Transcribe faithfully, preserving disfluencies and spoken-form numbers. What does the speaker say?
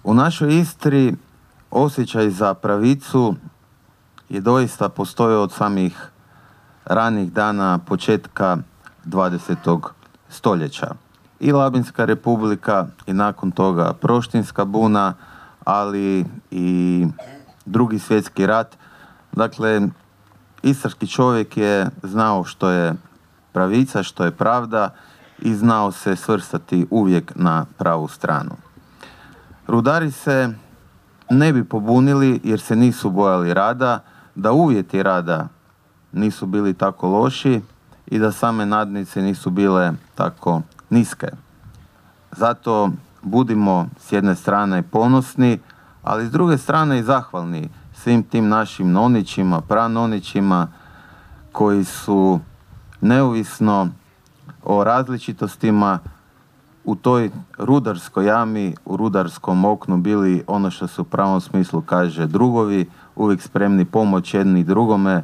U našoj Istri osjećaj za pravicu je doista postojao od samih ranih dana početka dvadesetog stoljeća. I Labinska republika i nakon toga Proštinska buna, ali i Drugi svjetski rat. Dakle, istarski čovjek je znao što je pravica, što je pravda i znao se svrstati uvijek na pravu stranu. Rudari se ne bi pobunili jer se nisu bojali rada, da uvjeti rada nisu bili tako loši i da same nadnice nisu bile tako niske. Zato budimo s jedne strane ponosni, ali s druge strane i zahvalni svim tim našim nonićima, pranonićima koji su neovisno o različitostima u toj rudarskoj jami, u rudarskom oknu bili ono što se u pravom smislu kaže drugovi, uvijek spremni pomoć jedni drugome,